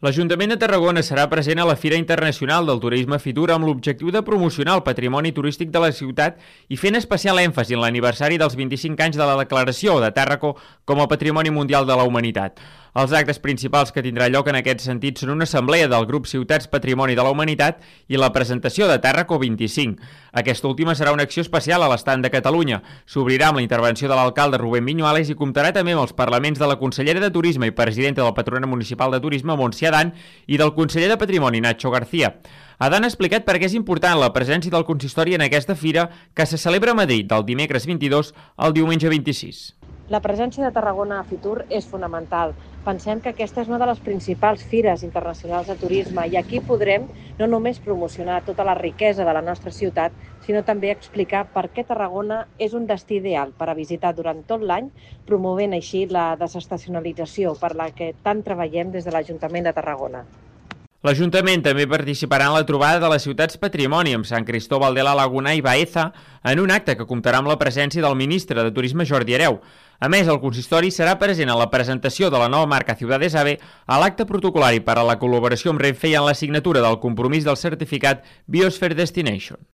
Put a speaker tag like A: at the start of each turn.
A: L'Ajuntament de Tarragona serà present a la Fira Internacional del Turisme Fitur amb l'objectiu de promocionar el patrimoni turístic de la ciutat i fent especial èmfasi en l'aniversari dels 25 anys de la declaració de Tàrraco com a Patrimoni Mundial de la Humanitat. Els actes principals que tindrà lloc en aquest sentit són una assemblea del grup Ciutats Patrimoni de la Humanitat i la presentació de Tàrraco 25. Aquesta última serà una acció especial a l'estand de Catalunya. S'obrirà amb la intervenció de l'alcalde Rubén Viñuales i comptarà també amb els parlaments de la consellera de Turisme i presidenta del Patronat Municipal de Turisme, Montse Adán, i del conseller de Patrimoni, Nacho García. Adán ha explicat per què és important la presència del consistori en aquesta fira que se celebra a Madrid del dimecres 22 al diumenge 26.
B: La presència de Tarragona a Fitur és fonamental. Pensem que aquesta és una de les principals fires internacionals de turisme i aquí podrem no només promocionar tota la riquesa de la nostra ciutat, sinó també explicar per què Tarragona és un destí ideal per a visitar durant tot l'any, promovent així la desestacionalització per la que tant treballem des de l'Ajuntament de Tarragona.
A: L'Ajuntament també participarà en la trobada de les ciutats patrimoni amb Sant Cristóbal de la Laguna i Baeza en un acte que comptarà amb la presència del ministre de Turisme Jordi Hereu. A més, el consistori serà present a la presentació de la nova marca Ciudades AVE, a l'acte protocolari per a la col·laboració amb Renfe i en la signatura del compromís del certificat Biosphere Destination.